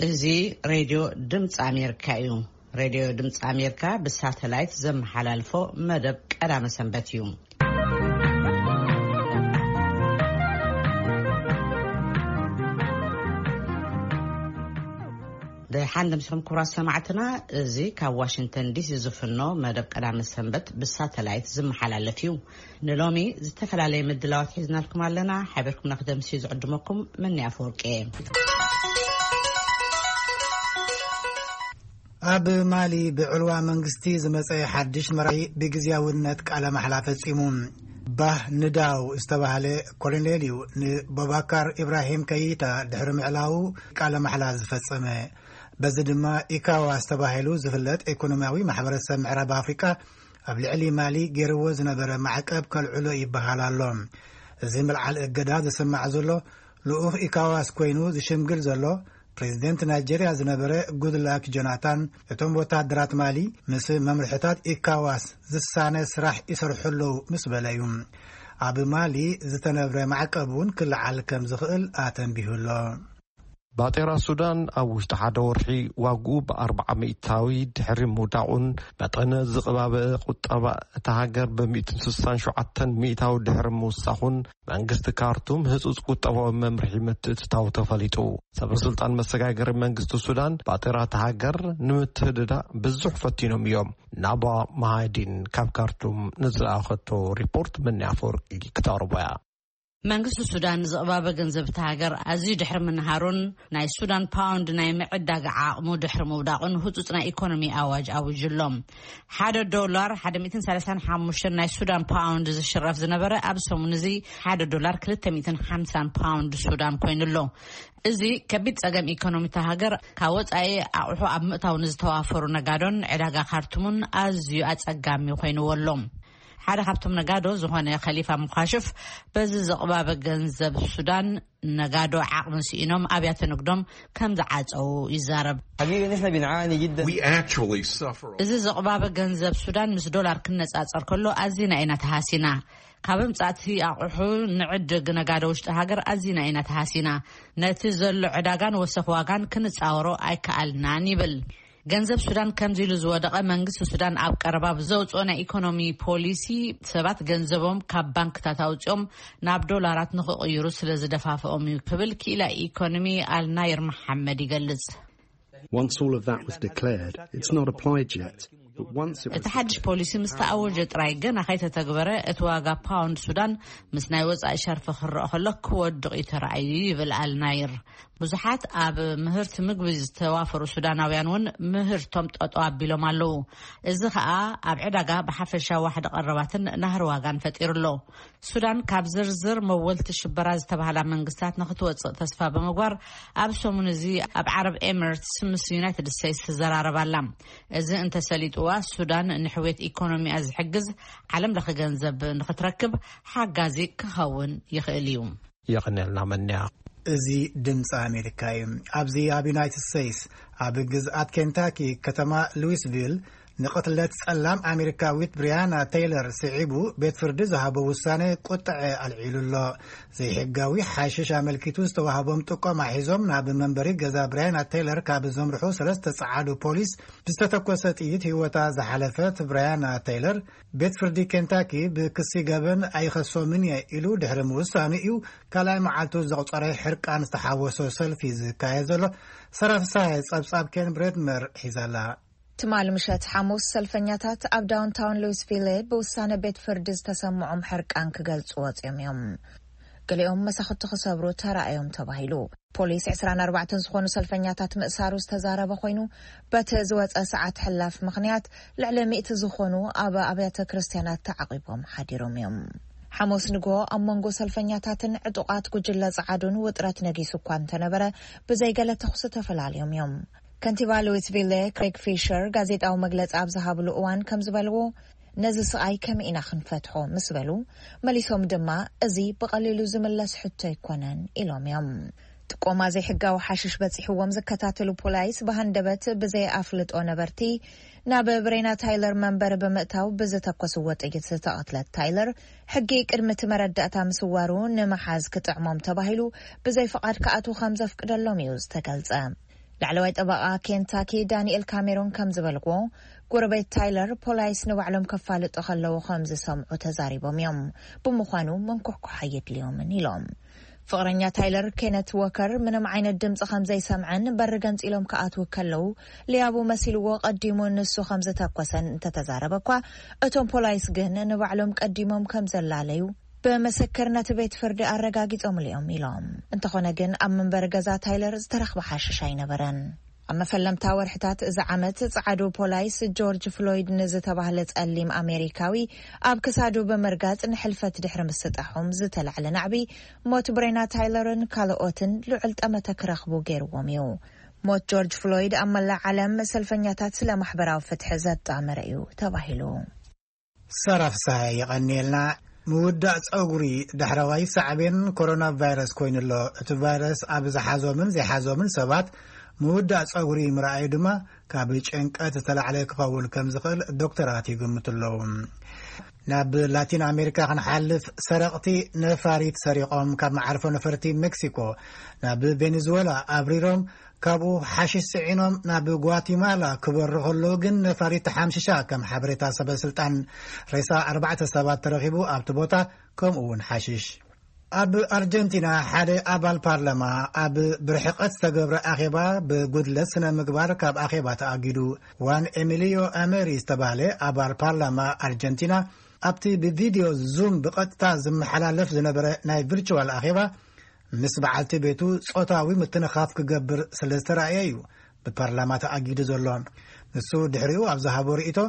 እዚ ሬድዮ ድምፂ ኣሜሪካ እዩ። ሬድዮ ድምፂ ኣሜሪካ ብሳተላይት ዘመሓላልፎ መደብ ቀዳመ ሰንበት እዩ። ደሓን ደምሲኹም ክቡራት ሰማዕትና፣ እዚ ካብ ዋሽንግተን ዲሲ ዝፍኖ መደብ ቀዳመ ሰንበት ብሳተላይት ዝመሓላለፍ እዩ። ንሎሚ ዝተፈላለየ ምድላዋት ሒዝናልኩም ኣለና። ሓቢርኩምና ክደምሲ ዝዕድመኩም መኒ ኣፈወርቂ እየ። ኣብ ማሊ ብዕልዋ መንግስቲ ዝመጸ ሓድሽ መራሒ ብግዝያውነት ቃለ ማሕላ ፈጺሙ። ባህ ንዳው ዝተባህለ ኮሎኔል እዩ ንቦባካር ኢብራሂም ከይታ ድሕሪ ምዕላው ቃለ ማሕላ ዝፈጸመ። በዚ ድማ ኢካዋስ ተባሂሉ ዝፍለጥ ኢኮኖሚያዊ ማሕበረሰብ ምዕራብ ኣፍሪቃ ኣብ ልዕሊ ማሊ ገይርዎ ዝነበረ ማዕቀብ ከልዕሎ ይበሃል ኣሎ። እዚ ምልዓል እገዳ ዝስማዕ ዘሎ ልኡኽ ኢካዋስ ኮይኑ ዝሽምግል ዘሎ ፕሬዚደንት ናይጄርያ ዝነበረ ጉድላክ ጆናታን፣ እቶም ወታደራት ማሊ ምስ መምርሕታት ኢካዋስ ዝሳነ ስራሕ ይሰርሑ ኣለዉ ምስ በለ እዩ። ኣብ ማሊ ዝተነብረ ማዕቀብ እውን ክልዓል ከም ዝኽእል ኣተንቢሁ ኣሎ። ባጤራ ሱዳን ኣብ ውሽጢ ሓደ ወርሒ ዋግኡ ብ ኣርብዓ ሚእታዊ ድሕሪ ምውዳቑን መጠነ ዝቕባበ ቁጠባ እታ ሃገር ብ ሚእትን ስሳን ሸውዓተን ሚእታዊ ድሕሪ ምውሳኹን መንግስቲ ካርቱም ህጹጽ ቁጠባዊ መምርሒ ምትእትታው ተፈሊጡ። ሰበ ስልጣን መሰጋገሪ መንግስቲ ሱዳን ባጤራ እታ ሃገር ንምትህድዳ ብዙሕ ፈቲኖም እዮም። ናባ መሃዲን ካብ ካርቱም ንዝለኣኸቶ ሪፖርት መኒ ኣፈወርቂ ክተቕርቦ እያ። መንግስቲ ሱዳን ዝቕባበ ገንዘብ እታ ሃገር ኣዝዩ ድሕሪ ምንሃሩን ናይ ሱዳን ፓውንድ ናይ ምዕዳግ ዓቕሙ ድሕሪ ምውዳቑን ህጹጽ ናይ ኢኮኖሚ ኣዋጅ ኣዊጁ ኣሎ። ሓደ ዶላር ሓደ ሚእትን ሰላሳን ሓሙሽተን ናይ ሱዳን ፓውንድ ዝሽረፍ ዝነበረ ኣብ ሰሙን እዚ ሓደ ዶላር ክልተ ሚእትን ሓምሳን ፓውንድ ሱዳን ኮይኑ ኣሎ። እዚ ከቢድ ጸገም ኢኮኖሚ እታ ሃገር ካብ ወጻኢ ኣቑሑ ኣብ ምእታው ንዝተዋፈሩ ነጋዶን ዕዳጋ ካርቱምን ኣዝዩ ኣጸጋሚ ኮይንዎ ኣሎ። ሓደ ካብቶም ነጋዶ ዝኾነ ከሊፋ ሙኻሽፍ በዚ ዝቕባበ ገንዘብ ሱዳን ነጋዶ ዓቕሚ ስኢኖም ኣብያተ ንግዶም ከም ዝዓጸው ይዛረብ። حقيقة نحن بنعاني جدا. We actually suffer. እዚ ዝቕባበ ገንዘብ ሱዳን ምስ ዶላር ክነጻጸር ከሎ ኣዚና ኢና ተሃሲና። ካብ ምጻእቲ ኣቑሑ ንዕድግ ነጋዶ ውሽጢ ሃገር ኣዚና ኢና ተሃሲና። ነቲ ዘሎ ዕዳጋን ወሰኽ ዋጋን ክንጻወሮ ኣይከኣልናን ይብል። ገንዘብ ሱዳን ከምዚ ኢሉ ዝወደቐ መንግስቲ ሱዳን ኣብ ቀረባ ብዘውፅኦ ናይ ኢኮኖሚ ፖሊሲ ሰባት ገንዘቦም ካብ ባንክታት ኣውፅኦም ናብ ዶላራት ንክቕይሩ ስለ ዝደፋፍኦም እዩ ክብል ክኢላ ኢኮኖሚ ኣልናይር መሓመድ ይገልጽ። Once all of that was declared, it's not applied yet. But once it እቲ was ሓድሽ ፖሊሲ ምስ ተኣወጀ ጥራይ ገና ከይተተግበረ እቲ ዋጋ ፓውንድ ሱዳን ምስ ናይ ወጻኢ ሸርፊ ክረአ ከሎ ክወድቕ እዩ ተራእዩ ይብል ኣልናይር። ብዙሓት ኣብ ምህርቲ ምግቢ ዝተዋፈሩ ሱዳናውያን እውን ምህርቶም ጠጠው ኣቢሎም ኣለዉ። እዚ ኸኣ ኣብ ዕዳጋ ብሓፈሻ ዋሕዲ ቀረባትን ናህሪ ዋጋን ፈጢሩ ኣሎ። ሱዳን ካብ ዝርዝር መወልቲ ሽበራ ዝተባህላ መንግስታት ንክትወጽእ ተስፋ ብምግባር ኣብ ሰሙን እዚ ኣብ ዓረብ ኤምሬትስ ምስ ዩናይትድ ስቴትስ ትዘራረብ ኣላ። እዚ እንተሰሊጥዋ ሱዳን ንሕውየት ኢኮኖሚያ ዝሕግዝ ዓለም ለኸ ገንዘብ ንክትረክብ ሓጋዚ ክኸውን ይኽእል እዩ። የቐንየልና መንያ። እዚ ድምፂ ኣሜሪካ እዩ። ኣብዚ ኣብ ዩናይትድ ስቴትስ ኣብ ግዝኣት ኬንታኪ ከተማ ሉዊስቪል ንቕትለት ጸላም ኣሜሪካዊት ብሪያና ቴይለር ስዒቡ ቤት ፍርዲ ዝሃቦ ውሳነ ቁጥዐ ኣልዒሉ ኣሎ። ዘይሕጋዊ ሓሽሽ ኣመልኪቱ ዝተዋህቦም ጥቆማ ሒዞም ናብ መንበሪ ገዛ ብሪያና ቴይለር ካብ ዘምርሑ ሰለስተ ጸዓዱ ፖሊስ ብዝተተኮሰ ጥይት ህይወታ ዝሓለፈት ብሪያና ቴይለር ቤት ፍርዲ ኬንታኪ ብክሲ ገበን ኣይኸሶምን እየ ኢሉ ድሕሪ ምውሳኑ እዩ ካልኣይ መዓልቱ ዘቑጸረ ሕርቃን ዝተሓወሶ ሰልፊ ዝካየድ ዘሎ። ሰራፍሳይ ጸብጻብ ኬን ብሬድመር ሒዛላ። ትማሊ ምሸት ሓሙስ ሰልፈኛታት ኣብ ዳውንታውን ሉዊስቪል ብውሳነ ቤት ፍርዲ ዝተሰምዖም ሕርቃን ክገልጹ ወጺኦም እዮም። ገሊኦም መሳኹቲ ክሰብሩ ተራእዮም ተባሂሉ። ፖሊስ ዕስራን ኣርባዕተን ዝኾኑ ሰልፈኛታት ምእሳሩ ዝተዛረበ ኮይኑ፣ በቲ ዝወጸ ሰዓት ሕላፍ ምኽንያት ልዕሊ ሚእቲ ዝኾኑ ኣብ ኣብያተ ክርስትያናት ተዓቒቦም ሓዲሮም እዮም። ሓሙስ ንግሆ ኣብ መንጎ ሰልፈኛታትን ዕጡቓት ጉጅለ ጸዓዱን ውጥረት ነጊሱ እኳ እንተነበረ፣ ብዘይገለ ተኹሲ ተፈላልዮም እዮም። ከንቲባ ሉዊስቪል ክሬግ ፊሸር ጋዜጣዊ መግለጺ ኣብ ዝሃብሉ እዋን ከም ዝበልዎ፣ ነዚ ስቓይ ከመይ ኢና ክንፈትሖ ምስ በሉ፣ መሊሶም ድማ፣ እዚ ብቐሊሉ ዝምለስ ሕቶ ኣይኮነን ኢሎም እዮም። ጥቆማ ዘይሕጋዊ ሓሽሽ በጺሕዎም ዝከታተሉ ፖላይስ ብሃንደበት ብዘይ ኣፍልጦ ነበርቲ ናብ ብሬና ታይለር መንበሪ ብምእታው ብዝተኮስዎ ጥይት ዝተቐትለት ታይለር፣ ሕጊ ቅድሚ እቲ መረዳእታ ምስዋሩ ንምሓዝ ክጥዕሞም ተባሂሉ ብዘይ ፍቓድ ክኣትዉ ከም ዘፍቅደሎም እዩ ዝተገልጸ። ላዕለዋይ ጠበቓ ኬንታኪ ዳንኤል ካሜሮን ከም ዝበልዎ፣ ጎረቤት ታይለር ፖላይስ ንባዕሎም ከፋልጡ ከለዉ ከም ዝሰምዑ ተዛሪቦም እዮም። ብምዃኑ መንኮሕኮሓ የድልዮምን ኢሎም። ፍቕረኛ ታይለር ኬነት ዎከር ምንም ዓይነት ድምፂ ከም ዘይሰምዐን በሪ ገንፂሎም ክኣትዉ ከለዉ ሊያቡ መሲልዎ ቀዲሙ ንሱ ከም ዝተኮሰን እንተተዛረበ እኳ፣ እቶም ፖላይስ ግን ንባዕሎም ቀዲሞም ከም ዘላለዩ ብምስክር ነቲ ቤት ፍርዲ ኣረጋጊጾምሉ እዮም ኢሎም። እንተኾነ ግን ኣብ መንበሪ ገዛ ታይለር ዝተረኽበ ሓሽሽ ኣይነበረን። ኣብ መፈለምታ ወርሕታት እዚ ዓመት ጸዓዱ ፖላይስ ጆርጅ ፍሎይድ ንዝተባህለ ጸሊም ኣሜሪካዊ ኣብ ክሳዱ ብምርጋጽ ንሕልፈት ድሕሪ ምስጣሖም ዝተላዕለ ናዕቢ ሞት ብሬና ታይለርን ካልኦትን ልዑል ጠመተ ክረኽቡ ገይርዎም እዩ። ሞት ጆርጅ ፍሎይድ ኣብ መላእ ዓለም ሰልፈኛታት ስለ ማሕበራዊ ፍትሒ ዘጣመረ እዩ ተባሂሉ። ሰራፍ ሳይ የቐንየልና። ምውዳእ ጸጉሪ ዳሕረዋይ ሳዕቤን ኮሮና ቫይረስ ኮይኑ ኣሎ። እቲ ቫይረስ ኣብ ዝሓዞምን ዘይሓዞምን ሰባት ምውዳእ ጸጉሪ ምርኣዩ ድማ ካብ ጭንቀት ዝተላዕለ ክኸውን ከም ዝኽእል ዶክተራት ይግምቱ ኣለዉ። ናብ ላቲን ኣሜሪካ ክንሓልፍ፣ ሰረቕቲ ነፋሪት ሰሪቖም ካብ መዓርፎ ነፈርቲ ሜክሲኮ ናብ ቬኔዙዌላ ኣብሪሮም፣ ካብኡ ሓሽሽ ጽዒኖም ናብ ጓቲማላ ክበሩ ከለዉ ግን ነፋሪት ተሓምሽሻ፣ ከም ሓበሬታ ሰበ ስልጣን። ሬሳ ኣርባዕተ ሰባት ተረኺቡ ኣብቲ ቦታ፣ ከምኡ እውን ሓሽሽ። ኣብ ኣርጀንቲና ሓደ ኣባል ፓርላማ ኣብ ብርሕቐት ዝተገብረ ኣኼባ ብጉድለት ስነ ምግባር ካብ ኣኼባ ተኣጊዱ። ዋን ኤሚሊዮ ኣመሪ ዝተባህለ ኣባል ፓርላማ ኣርጀንቲና ኣብቲ ብቪድዮ ዙም ብቐጥታ ዝመሓላለፍ ዝነበረ ናይ ቪርቹዋል ኣኼባ ምስ በዓልቲ ቤቱ ጾታዊ ምትንኻፍ ክገብር ስለ ዝተራእየ እዩ ብፓርላማ ተኣጊዱ ዘሎ። ንሱ ድሕሪኡ ኣብ ዝሃቦ ርእይቶ፣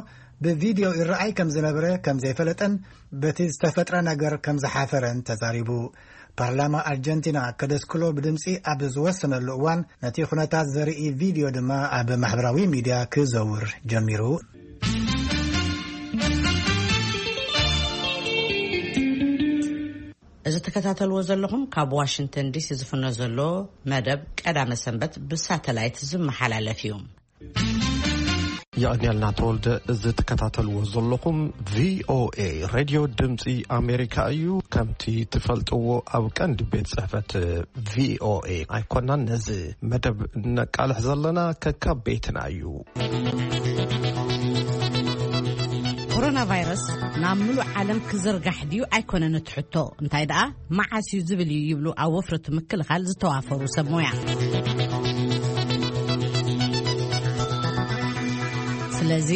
ብቪድዮ ይረኣይ ከም ዝነበረ ከም ዘይፈለጠን በቲ ዝተፈጥረ ነገር ከም ዝሓፈረን ተዛሪቡ። ፓርላማ ኣርጀንቲና ከደስክሎ ብድምጺ ኣብ ዝወሰነሉ እዋን፣ ነቲ ኩነታት ዘርኢ ቪድዮ ድማ ኣብ ማሕበራዊ ሚድያ ክዘውር ጀሚሩ። እዚ ትከታተልዎ ዘለኹም ካብ ዋሽንግተን ዲሲ ዝፍኖ ዘሎ መደብ ቀዳመ ሰንበት ብሳተላይት ዝመሓላለፍ እዩ። የቐንየልና ተወልደ። እዚ ትከታተልዎ ዘለኹም ቪኦኤ ሬድዮ ድምፂ ኣሜሪካ እዩ። ከምቲ ትፈልጥዎ ኣብ ቀንዲ ቤት ጽሕፈት ቪኦኤ ኣይኮናን ነዚ መደብ ነቃልሕ ዘለና፣ ከካብ ቤትና እዩ። ኮሮና ቫይረስ ናብ ምሉእ ዓለም ክዝርጋሕ ድዩ ኣይኮነን እቲ ሕቶ፣ እንታይ ደኣ መዓስ እዩ ዝብል እዩ ይብሉ ኣብ ወፍሪ እቲ ምክልኻል ዝተዋፈሩ ሰብ ሞያ። ስለዚ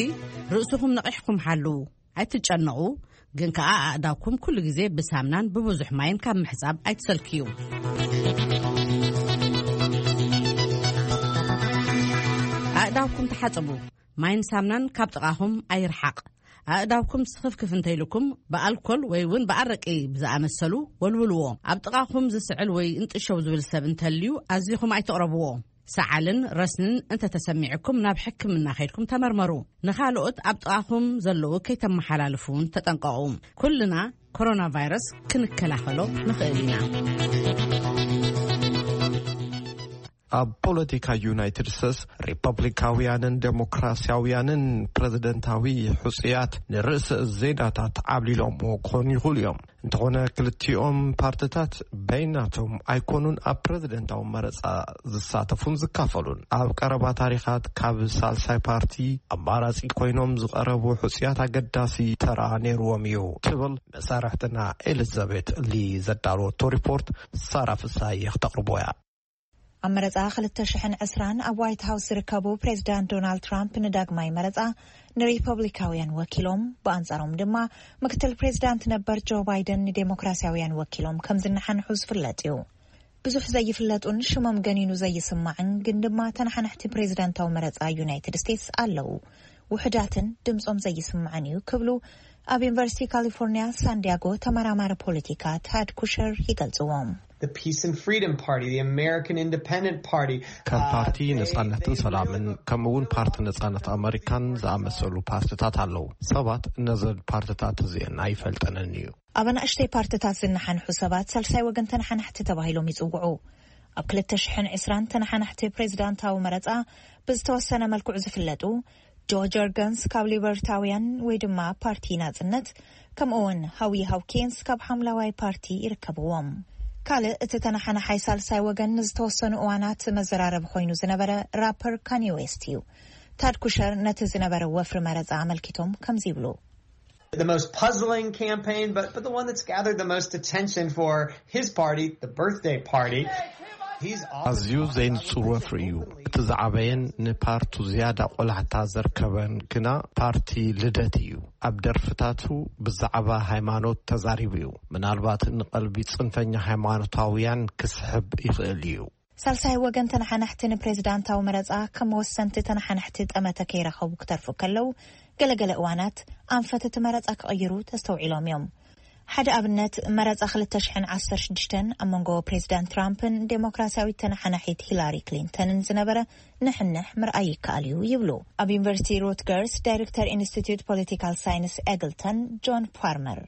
ርእስኹም ነቒሕኩም ሓልዉ፣ ኣይትጨነቑ። ግን ከኣ ኣእዳውኩም ኩሉ ግዜ ብሳምናን ብብዙሕ ማይን ካብ ምሕጻብ ኣይትሰልክዩ። ኣእዳውኩም ተሓጸቡ። ማይን ሳምናን ካብ ጥቓኹም ኣይርሓቕ። ኣእዳውኩም ስኽፍክፍ እንተኢልኩም ብኣልኮል ወይ እውን ብኣረቂ ብዝኣመሰሉ ወልውልዎ። ኣብ ጥቓኹም ዝስዕል ወይ እንጥሸው ዝብል ሰብ እንተልዩ ኣዚኹም ኣይትቕረብዎ። ሰዓልን ረስንን እንተተሰሚዕኩም ናብ ሕክምና ከይድኩም ተመርመሩ። ንኻልኦት ኣብ ጥቓኹም ዘለዉ ከይተመሓላልፉ እውን ተጠንቀቑ። ኩልና ኮሮና ቫይረስ ክንከላኸሎ ንኽእል ኢና። ኣብ ፖለቲካ ዩናይትድ ስቴትስ ሪፐብሊካውያንን ዴሞክራሲያውያንን ፕረዚደንታዊ ሕጹያት ንርእሰ ዜናታት ዓብሊሎምዎ ክኾኑ ይኽእሉ እዮም። እንተኾነ ክልቲኦም ፓርትታት በይናቶም ኣይኮኑን ኣብ ፕረዚደንታዊ መረጻ ዝሳተፉን ዝካፈሉን። ኣብ ቀረባ ታሪኻት ካብ ሳልሳይ ፓርቲ ኣማራጺ ኮይኖም ዝቐረቡ ሕጹያት ኣገዳሲ ተራ ነይርዎም እዩ ትብል መሳርሕትና ኤሊዛቤት ሊ ዘዳለወቶ ሪፖርት ሳራ ፍሳየ ክተቕርቦ እያ። ኣብ መረጻ ክልተ ሽሕን ዕስራን ኣብ ዋይት ሃውስ ዝርከቡ ፕሬዚዳንት ዶናልድ ትራምፕ ንዳግማይ መረጻ ንሪፐብሊካውያን ወኪሎም፣ ብኣንጻሮም ድማ ምክትል ፕሬዚዳንት ነበር ጆ ባይደን ንዴሞክራሲያውያን ወኪሎም ከም ዝነሓንሑ ዝፍለጥ እዩ። ብዙሕ ዘይፍለጡን ሽሞም ገኒኑ ዘይስማዕን ግን ድማ ተነሓናሕቲ ፕሬዚዳንታዊ መረጻ ዩናይትድ ስቴትስ ኣለዉ። ውሑዳትን ድምጾም ዘይስማዕን እዩ ክብሉ ኣብ ዩኒቨርሲቲ ካሊፎርኒያ ሳንዲያጎ ተመራማሪ ፖለቲካ ታድ ኩሸር ይገልጽዎም። The Peace and Freedom Party, the American Independent Party. ከም ፓርቲ ነጻነትን ሰላምን ከምኡውን ፓርቲ ነጻነት ኣመሪካን ዝኣመሰሉ ፓርትታት ኣለዉ። ሰባት ነዘን ፓርትታት እዚአን ኣይፈልጠንን እዩ። ኣብ ኣናእሽተይ ፓርትታት ዝነሓንሑ ሰባት ሳልሳይ ወገን ተነሓናሕቲ ተባሂሎም ይጽውዑ። ኣብ ክልተ ሽሕን ዕስራን ተነሓናሕቲ ፕሬዚዳንታዊ መረጻ ብዝተወሰነ መልክዑ ዝፍለጡ ጆ ጀርገንስ ካብ ሊበርታውያን ወይ ድማ ፓርቲ ናጽነት፣ ከምኡውን ሃዊ ሃውኪንስ ካብ ሓምላዋይ ፓርቲ ይርከብዎም። ካልእ እቲ ተነሓናሓይ ሳልሳይ ወገን ንዝተወሰኑ እዋናት መዘራረቢ ኮይኑ ዝነበረ ራፐር ካኒ ዌስት እዩ። ታድ ኩሸር ነቲ ዝነበረ ወፍሪ መረጻ ኣመልኪቶም ከምዚ ይብሉ። The most puzzling campaign, but, but the one that's gathered the most attention for his party, the birthday party. He's often ኣዝዩ talked ዘይንጹር about ወፍሪ እዩ። እቲ ዝዓበየን ንፓርቱ ዝያዳ ቆላሕታ ዘርከበን ግና ፓርቲ ልደት እዩ። ኣብ ደርፍታቱ ብዛዕባ ሃይማኖት ተዛሪቡ እዩ። ምናልባት ንቐልቢ ጽንፈኛ ሃይማኖታውያን ክስሕብ ይኽእል እዩ። ሳልሳይ ወገን ተነሓናሕቲ ንፕሬዝዳንታዊ መረጻ ከም ወሰንቲ ተነሓናሕቲ ጠመተ ከይረኸቡ ክተርፉ ከለዉ፣ ገለገለ እዋናት ኣንፈት እቲ መረጻ ክቕይሩ ተስተውዒሎም እዮም። ሓደ ኣብነት፣ መረጻ ክልተ ሽሕን ዓሰርተ ሽዱሽተን ኣብ መንጎ ፕሬዝዳንት ትራምፕን ዴሞክራሲያዊት ተነሓናሒት ሂላሪ ክሊንተንን ዝነበረ ንሕንሕ ምርኣይ ይከኣል እዩ ይብሉ ኣብ ዩኒቨርሲቲ ሩትገርስ ዳይሬክተር ኢንስቲትዩት ፖለቲካል ሳይንስ ኤግልተን ጆን ፓርመር።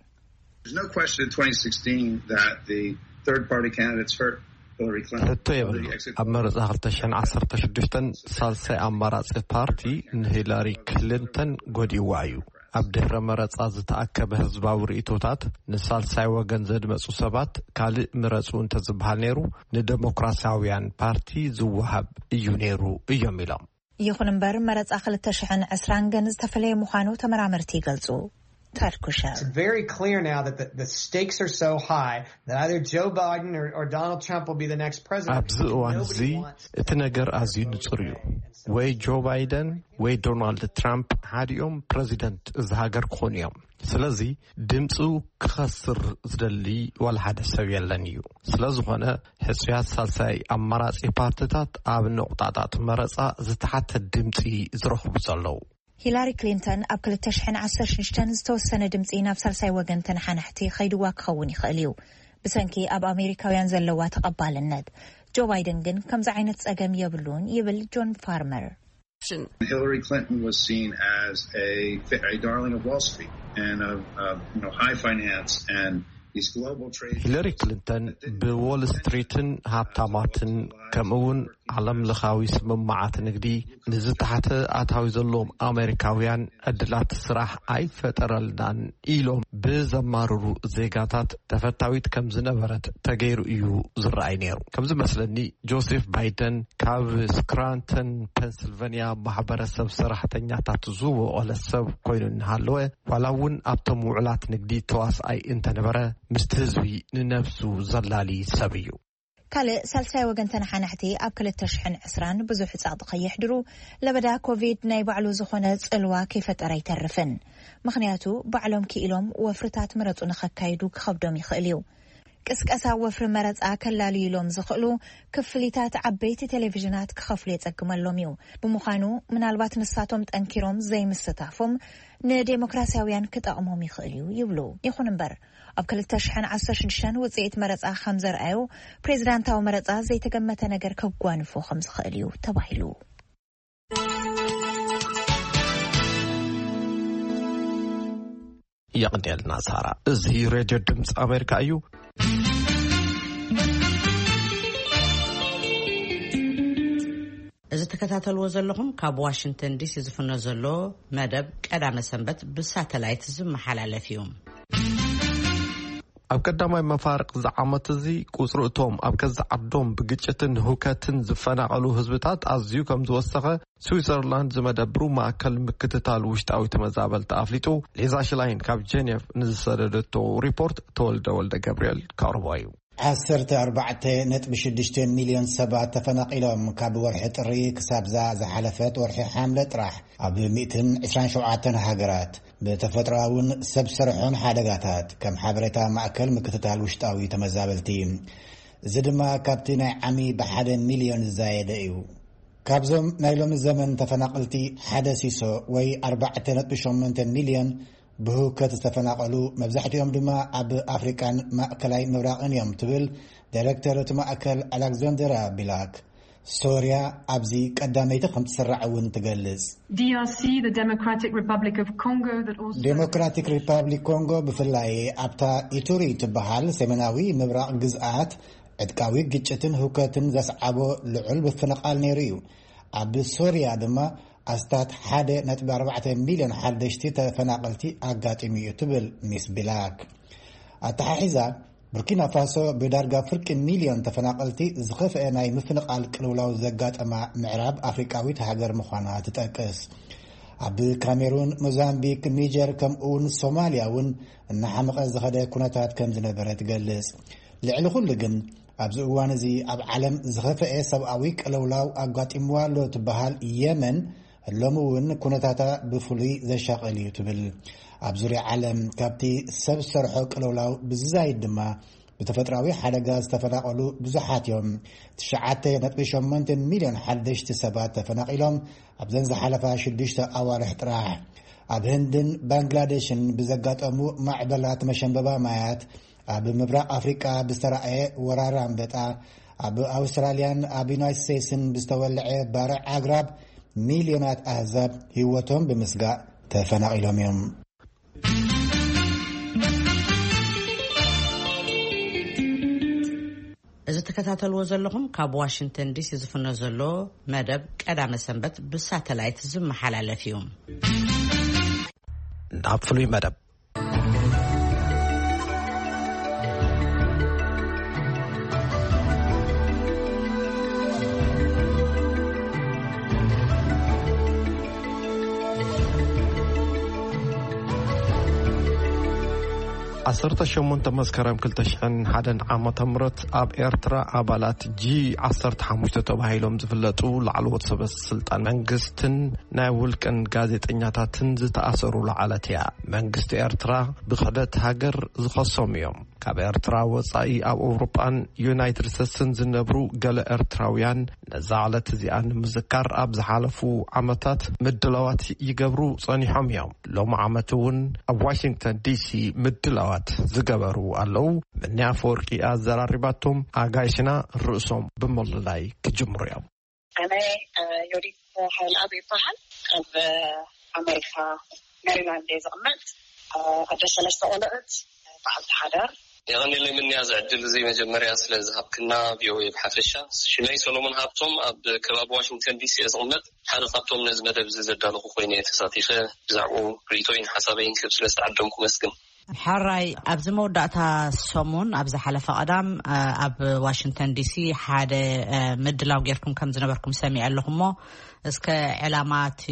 There's no question in twenty sixteen that the third party candidates hurt Hillary Clinton. ሕቶ የብሉ። ኣብ መረጻ ክልተ ሽሕን ዓሰርተ ሽዱሽተን ሳልሳይ ኣማራጺ ፓርቲ ንሂላሪ ክሊንተን ጎዲዋ እዩ። ኣብ ድሕረ መረጻ ዝተኣከበ ህዝባዊ ርእይቶታት ንሳልሳይ ወገን ዘድመጹ ሰባት ካልእ ምረጹ እንተዝበሃል ነይሩ ንደሞክራሲያውያን ፓርቲ ዝወሃብ እዩ ነይሩ እዮም ኢሎም። ይኹን እምበር መረጻ ክልተ ሽሕን ዕስራን ግን ዝተፈለየ ምዃኑ ተመራመርቲ ይገልጹ። ታድ ኩሸር It's very clear now that the, the stakes are so high that either Joe Biden or, or Donald Trump will be the next president. ኣብዚ እዋን እዚ እቲ ነገር ኣዝዩ ንጹር እዩ። ወይ ጆ ባይደን ወይ ዶናልድ ትራምፕ ሓዲኦም ፕረዚደንት እዚ ሃገር ክኾኑ እዮም። ስለዚ ድምፁ ክኸስር ዝደሊ ዋላ ሓደ ሰብ የለን እዩ። ስለ ዝኾነ ሕጹያት ሳልሳይ ኣማራጺ ፓርትታት ኣብ ነቑጣጣት መረጻ ዝተሓተ ድምጺ ዝረኽቡ ዘለዉ። ሂላሪ ክሊንተን ኣብ ክልተ ሽሕን ዓሰርተ ሽዱሽተን ዝተወሰነ ድምጺ ናብ ሳልሳይ ወገን ተነሓናሕቲ ኸይድዋ ክኸውን ይኽእል እዩ። ብሰንኪ ኣብ ኣሜሪካውያን ዘለዋ ተቐባልነት። ጆ ባይደን ግን ከምዚ ዓይነት ጸገም የብሉን ይብል ጆን ፋርመር። Hillary Clinton was seen as a, a darling of Wall Street and of, of you know, high finance and these global trade. ሂለሪ ክሊንተን ብዎል ስትሪትን ሃብታማትን ከምኡውን ዓለም ለኻዊ ስምምዓት ንግዲ ንዝተሓተ ኣታዊ ዘለዎም ኣሜሪካውያን ዕድላት ስራሕ ኣይፈጠረልናን ኢሎም ብዘማርሩ ዜጋታት ተፈታዊት ከም ዝነበረት ተገይሩ እዩ ዝረኣይ ነይሩ። ከም ዝመስለኒ ጆሴፍ ባይደን ካብ ስክራንተን ፐንስልቨንያ ማሕበረሰብ ሰራሕተኛታት ዝወቐለ ሰብ ኮይኑ እናሃለወ ዋላ እውን ኣብቶም ውዕላት ንግዲ ተዋስኣይ እንተነበረ ምስቲ ህዝቢ ንነብሱ ዘላሊ ሰብ እዩ። ካልእ ሳልሳይ ወገን ተነሓናሕቲ ኣብ ክልተ ሽሕን ዕስራን ብዙሕ ጸቕጢ ከየሕድሩ ለበዳ ኮቪድ ናይ ባዕሉ ዝኾነ ጽልዋ ከይፈጠረ ኣይተርፍን። ምኽንያቱ ባዕሎም ክኢሎም ወፍርታት ምረጹ ንኸካይዱ ክኸብዶም ይኽእል እዩ። ቅስቀሳ ወፍሪ መረጻ ከላልዩሎም ዝኽእሉ ክፍሊታት ዓበይቲ ቴሌቪዥናት ክኸፍሉ የጸግመሎም እዩ። ብምዃኑ ምናልባት ንሳቶም ጠንኪሮም ዘይምስታፎም ንዴሞክራሲያውያን ክጠቕሞም ይኽእል እዩ ይብሉ። ይኹን እምበር ኣብ ክልተ ሽሕን ዓሰርተ ሽዱሽተን ውጽኢት መረጻ ከም ዘርኣዩ ፕሬዝዳንታዊ መረጻ ዘይተገመተ ነገር ከጓንፎ ከም ዝኽእል እዩ ተባሂሉ። የቕንየልና ሳራ። እዚ ሬድዮ ድምፂ ኣሜሪካ እዩ። እዚ ትከታተልዎ ዘለኹም ካብ ዋሽንግተን ዲሲ ዝፍኖ ዘሎ መደብ ቀዳመ ሰንበት ብሳተላይት ዝመሓላለፍ እዩ። ኣብ ቀዳማይ መፋርቕ እዚ ዓመት እዚ ቁጽሪ እቶም ኣብ ገዛ ዓዶም ብግጭትን ህውከትን ዝፈናቐሉ ህዝብታት ኣዝዩ ከም ዝወሰኸ ስዊዘርላንድ ዝመደብሩ ማእከል ምክትታል ውሽጣዊ ተመዛበልቲ ኣፍሊጡ። ሊዛ ሽላይን ካብ ጀኔቭ ንዝሰደደቶ ሪፖርት ተወልደ ወልደ ገብርኤል ከቕርቦ እዩ። ዓሰርተ ኣርባዕተ ነጥቢ ሽዱሽተ ሚልዮን ሰባት ተፈናቒሎም ካብ ወርሒ ጥሪ ክሳብዛ ዝሓለፈት ወርሒ ሓምለ ጥራሕ ኣብ ሚእትን ዕስራን ሸውዓተን ሃገራት ብተፈጥሮኣውን ሰብ ስርሖን ሓደጋታት ከም ሓበሬታ ማእከል ምክትታል ውሽጣዊ ተመዛበልቲ። እዚ ድማ ካብቲ ናይ ዓሚ ብሓደ ሚልዮን ዝዛየደ እዩ። ካብዞም ናይ ሎሚ ዘመን ተፈናቐልቲ ሓደ ሲሶ ወይ ኣርባዕተ ነጥቢ ሸሞንተ ሚልዮን ብህውከት ዝተፈናቐሉ፣ መብዛሕትኦም ድማ ኣብ ኣፍሪቃን ማእከላይ ምብራቕን እዮም ትብል ዳይሬክተር እቲ ማእከል ኣሌክዛንደራ ቢላክ። ሶርያ ኣብዚ ቀዳመይቲ ከም ትስራዕ እውን ትገልጽ። D R C, the Democratic Republic of Congo, that also ዴሞክራቲክ ሪፓብሊክ ኮንጎ ብፍላይ ኣብታ ኢቱሪ ትበሃል ሰሜናዊ ምብራቕ ግዝኣት ዕጥቃዊ ግጭትን ህውከትን ዘስዓቦ ልዑል ምፍንቓል ነይሩ እዩ። ኣብ ሶርያ ድማ ኣስታት ሓደ ነጥቢ ኣርባዕተ ሚልዮን ሓደሽቲ ተፈናቐልቲ ኣጋጢሙ እዩ ትብል ሚስ ቢላክ። ኣተሓሒዛ ቡርኪና ፋሶ ብዳርጋ ፍርቂ ሚልዮን ተፈናቐልቲ ዝኸፍአ ናይ ምፍንቓል ቅልውላው ዘጋጠማ ምዕራብ ኣፍሪቃዊት ሃገር ምዃና ትጠቅስ። ኣብ ካሜሩን፣ ሞዛምቢክ፣ ኒጀር፣ ከምኡውን ሶማልያ እውን እናሓመቐ ዝኸደ ኩነታት ከም ዝነበረ ትገልጽ። ልዕሊ ኩሉ ግን ኣብዚ እዋን እዚ ኣብ ዓለም ዝኸፍአ ሰብኣዊ ቅልውላው ኣጋጢምዋ ኣሎ ትበሃል የመን ሎሚ እውን ኩነታታ ብፍሉይ ዘሻቐል እዩ ትብል። ኣብ ዙርያ ዓለም ካብቲ ሰብ ሰርሖ ቅልውላው ብዝዛይድ ድማ ብተፈጥራዊ ሓደጋ ዝተፈናቐሉ ብዙሓት እዮም። ትሽዓተ ነጥቢ ሸሞንተ ሚልዮን ሓደሽቲ ሰባት ተፈናቒሎም ኣብዘን ዝሓለፋ ሽዱሽተ ኣዋርሕ ጥራሕ። ኣብ ህንድን ባንግላደሽን ብዘጋጠሙ ማዕበላት መሸንበባ ማያት፣ ኣብ ምብራቕ ኣፍሪቃ ብዝተራእየ ወራር ኣንበጣ፣ ኣብ ኣውስትራልያን ኣብ ዩናይትድ ስቴትስን ብዝተወልዐ ባርዕ ኣግራብ ሚልዮናት ኣህዛብ ህይወቶም ብምስጋእ ተፈናቒሎም እዮም። እዚ ትከታተልዎ ዘለኹም ካብ ዋሽንግተን ዲሲ ዝፍኖ ዘሎ መደብ ቀዳመ ሰንበት ብሳተላይት ዝመሓላለፍ እዩ። ናብ ፍሉይ መደብ። ዓሰርተ ሸሞንተ መስከረም ክልተ ሽሕን ሓደን ዓመተ ምህረት ኣብ ኤርትራ ኣባላት ጂ ዓሰርተ ሓሙሽተ ተባሂሎም ዝፍለጡ ላዕለዎት ሰበ ስልጣን መንግስትን ናይ ውልቅን ጋዜጠኛታትን ዝተኣሰሩላ ዕለት እያ። መንግስቲ ኤርትራ ብክሕደት ሃገር ዝኸሶም እዮም። ካብ ኤርትራ ወጻኢ ኣብ ኣውሮጳን ዩናይትድ ስቴትስን ዝነብሩ ገለ ኤርትራውያን ነዛ ዕለት እዚኣ ንምዝካር ኣብ ዝሓለፉ ዓመታት ምድላዋት ይገብሩ ጸኒሖም እዮም። ሎም ዓመት እውን ኣብ ዋሽንግተን ዲሲ ምድላዋት ዝገበሩ ኣለዉ። ምንያ ኣፈወርቂ ኣዘራሪባቶም ኣጋይሽና ርእሶም ብምልላይ ክጅምሩ እዮም። ኣነ ዮዲት ሓይልኣብ ይበሃል። ኣብ ኣሜሪካ ሜሪላንድ እየ ዝቕመጥ። ኣደ ሰለስተ ቆልዑት፣ በዓልቲ ሓዳር። የቐንየለይ ምንያ ዝዕድል እዚ መጀመርያ ስለ ዝሃብክና ቪኦኤ ብሓፈሻ። ሽመይ ሰሎሞን ሃብቶም፣ ኣብ ከባቢ ዋሽንግተን ዲሲ እየ ዝቕመጥ። ሓደ ካብቶም ነዚ መደብ እዚ ዘዳለኹ ኮይነ እየ ተሳቲፈ። ብዛዕባኡ ርእይቶይን ሓሳበይን ክህብ ስለ ዝተዓደምኩ መስግን። ሕራይ፣ ኣብዚ መወዳእታ ሰሙን ኣብ ዝሓለፈ ቀዳም ኣብ ዋሽንግተን ዲሲ ሓደ ምድላው ጌርኩም ከም ዝነበርኩም ሰሚዐ ኣለኹ እሞ፣ እስከ ዕላማ እቲ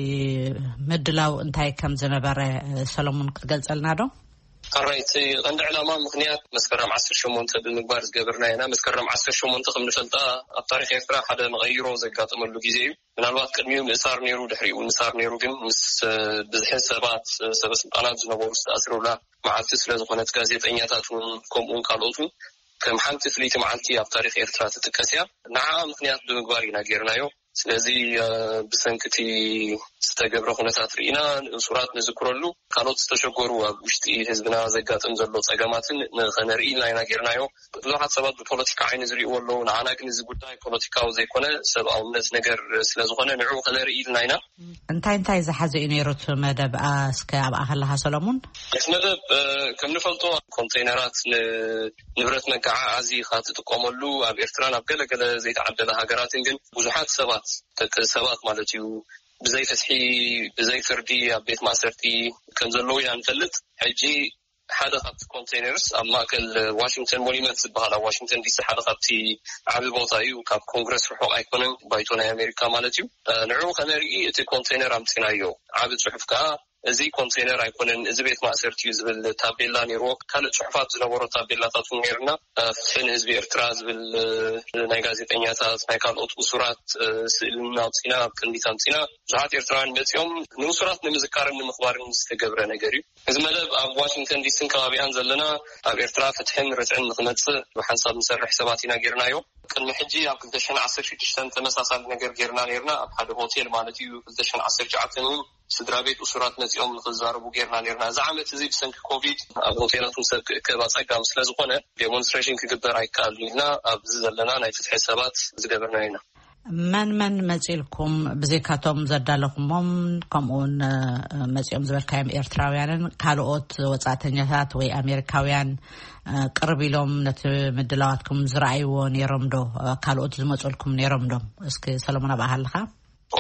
ምድላው እንታይ ከም ዝነበረ ሰሎሙን ክትገልጸልና ዶ? ሕራይ፣ እቲ ቀንዲ ዕላማ ምኽንያት መስከረም ዓሰርተ ሸሞንተ ብምግባር ዝገበርና ኢና። መስከረም ዓሰርተ ሸሞንተ ከም ንፈልጣ ኣብ ታሪኽ ኤርትራ ሓደ መቐይሮ ዘጋጠመሉ ግዜ እዩ። ምናልባት ቅድሚኡ ምእሳር ነይሩ፣ ድሕሪኡ ምእሳር ነይሩ፣ ግን ምስ ብዝሒ ሰባት፣ ሰበ ስልጣናት ዝነበሩ ዝተኣስሩላ መዓልቲ ስለ ዝኾነት፣ ጋዜጠኛታት እውን ከምኡ እውን ካልኦት እውን ከም ሓንቲ ፍልይቲ መዓልቲ ኣብ ታሪኽ ኤርትራ ትጥቀስ እያ። ንዓኣ ምኽንያት ብምግባር ኢና ጌርናዮ። ስለዚ ብሰንኪ እቲ ዝተገብረ ኩነታት ርኢና ንእሱራት ንዝክረሉ፣ ካልኦት ዝተሸገሩ ኣብ ውሽጢ ህዝብና ዘጋጥም ዘሎ ጸገማትን ንኸነርኢ ኢልና ኢና ጌርናዮ። ብዙሓት ሰባት ብፖለቲካ ዓይኒ ዝርእይዎ ኣለዉ። ንዓና ግን እዚ ጉዳይ ፖለቲካዊ ዘይኮነ ሰብኣውነት ነገር ስለ ዝኾነ ንዕኡ ከነርኢ ኢልና ኢና። እንታይ እንታይ ዝሓዘ እዩ ነይሩ እቲ መደብ? እስከ ኣብኣ ከለኻ ሰሎሙን። እቲ መደብ ከም ንፈልጦ ኮንቴይነራት ንንብረት መጋዓዓዚ ኢኻ ትጥቀመሉ። ኣብ ኤርትራን ኣብ ገለገለ ዘይተዓደለ ሃገራትን ግን ብዙሓት ሰባት፣ ደቂ ሰባት ማለት እዩ፣ ብዘይ ፍትሒ፣ ብዘይ ፍርዲ ኣብ ቤት ማእሰርቲ ከም ዘለዉ ኢና ንፈልጥ። ሕጂ ሓደ ካብቲ ኮንቴይነርስ ኣብ ማእከል ዋሽንግተን ሞኒመንት ዝበሃል ኣብ ዋሽንግተን ዲሲ ሓደ ካብቲ ዓቢ ቦታ እዩ። ካብ ኮንግረስ ርሑቕ ኣይኮነን፣ ባይቶ ናይ ኣሜሪካ ማለት እዩ። ንዕኡ ከነርኢ እቲ ኮንቴይነር ኣምጺናዮ። ዓቢ ጽሑፍ ከኣ እዚ ኮንቴይነር ኣይኮነን፣ እዚ ቤት ማእሰርቲ እዩ ዝብል ታቤላ ነይርዎ። ካልእ ጽሑፋት ዝነበሮ ታቤላታት እውን ነይርና። ፍትሒ ንህዝቢ ኤርትራ ዝብል ናይ ጋዜጠኛታት፣ ናይ ካልኦት እሱራት ስእልን ኣውጺና ኣብ ቅድሚት ኣምጺና። ብዙሓት ኤርትራውያን መጺኦም ንእሱራት ንምዝካርን ንምኽባርን ዝተገብረ ነገር እዩ። እዚ መደብ ኣብ ዋሽንግተን ዲሲን ከባቢኣን ዘለና ኣብ ኤርትራ ፍትሕን ርትዕን ንኽመጽእ ብሓንሳብ ንሰርሕ ሰባት ኢና ጌርናዮ። ቅድሚ ሕጂ ኣብ ክልተ ሽሕን ዓሰርተ ሽዱሽተን ተመሳሳሊ ነገር ጌርና ኔርና፣ ኣብ ሓደ ሆቴል ማለት እዩ። ክልተ ሽሕን ዓሰርተ ትሽዓተን እውን ስድራ ቤት እሱራት መጺኦም ንኽዛረቡ ጌርና ኔርና። እዚ ዓመት እዚ ብሰንኪ ኮቪድ ኣብ ሆቴላት እውን ሰብ ክእከብ ኣጸጋሚ ስለ ዝኾነ ዴሞንስትሬሽን ክግበር ኣይከኣልን ኢልና ኣብዚ ዘለና ናይ ፍትሒ ሰባት ዝገበርናዮ ኢና። መን መን መጺእልኩም? ብዘይካቶም ዘዳለኹሞም፣ ከምኡውን፣ እ፣ መጺኦም ዝበልካዮም ኤርትራውያንን ካልኦት ወጻእተኛታት ወይ ኣሜሪካውያን፣ እ፣ ቅርብ ኢሎም ነቲ ምድላዋትኩም ዝረኣይዎ ነይሮም ዶ? እ፣ ካልኦት ዝመጹልኩም ነይሮም ዶ? እስኪ ሰሎሞን፣ ኣብኣ ሃለኻ።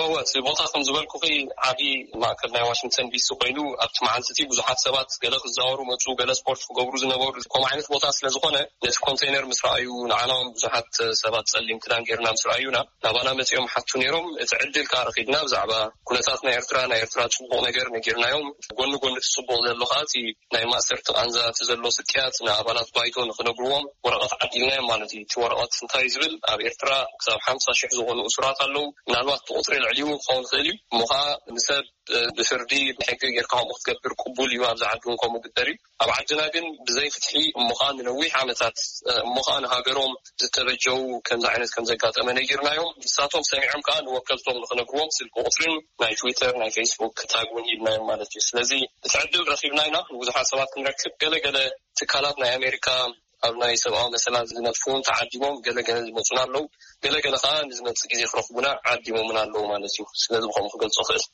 እወ፣ እቲ ቦታ ከም ዝበልኩኺ ዓቢ ማእከል ናይ ዋሽንግተን ዲሲ ኮይኑ፣ ኣብቲ መዓልቲ እቲ ብዙሓት ሰባት ገለ ክዛወሩ መጹ፣ ገለ ስፖርት ክገብሩ ዝነበሩ፣ ከምኡ ዓይነት ቦታ ስለ ዝኾነ፣ ነቲ ኮንቴነር ምስ ረኣዩ፣ ንዓና እውን ብዙሓት ሰባት ጸሊም ክዳን ጌርና ምስ ረኣዩና፣ ናባና መጺኦም ሓቱ ነይሮም። እቲ ዕድል ከኣ ረኺብና፣ ብዛዕባ ኩነታት ናይ ኤርትራ፣ ናይ ኤርትራ ጽቡቕ ነገር ነጊርናዮም። ጎኒ ጎኒ እቲ ጽቡቕ ዘሎ ከኣ፣ እቲ ናይ ማእሰርቲ ቃንዛ፣ እቲ ዘሎ ስቅያት ንኣባላት ባይቶ ንኽነግርዎም ወረቐት ዓዲልናዮም ማለት እዩ። እቲ ወረቐት እንታይ እዩ ዝብል? ኣብ ኤርትራ ክሳብ ሓምሳ ሽሕ ዝኾኑ እሱራት ኣለዉ። ምናልባት እቲ ቁጽሪ ልዕሊኡ ክኸውን ይኽእል እዩ። እሞ ኸኣ ንሰብ፣ እ፣ ብፍርዲ ብሕጊ ጌርካ ከምኡ ክትገብር ቅቡል እዩ። ኣብዚ ዓዲ እውን ከምኡ ግበር እዩ። ኣብ ዓድና ግን ብዘይ ፍትሒ እሞ ኸኣ ንነዊሕ ዓመታት፣ እ፣ እሞ ኸኣ ንሃገሮም ዝተበጀዉ ከምዚ ዓይነት ከም ዘጋጠመ ነጊርናዮም። ንሳቶም ሰሚዖም ከኣ ንወከልቶም ንኽነግርዎም ስልኪ ቁጽርን ናይ ትዊተር፣ ናይ ፌስቡክ ታግ እውን ሂብናዮም ማለት እዩ። ስለዚ እቲ ዕድል ረኺብና ኢና ንብዙሓት ሰባት ክንረክብ። ገለገለ ትካላት ናይ ኣሜሪካ ኣብ ናይ ሰብኣዊ መሰላት ዝነጥፉ እውን ተዓዲሞም፣ ገለገለ ዝመጹና ኣለዉ። ገለገለ ከኣ ንዝመጽእ ግዜ ክረኽቡና ዓዲሞምና ኣለዉ ማለት እዩ። ስለዚ ብኸምኡ ክገልጾ እኽእል።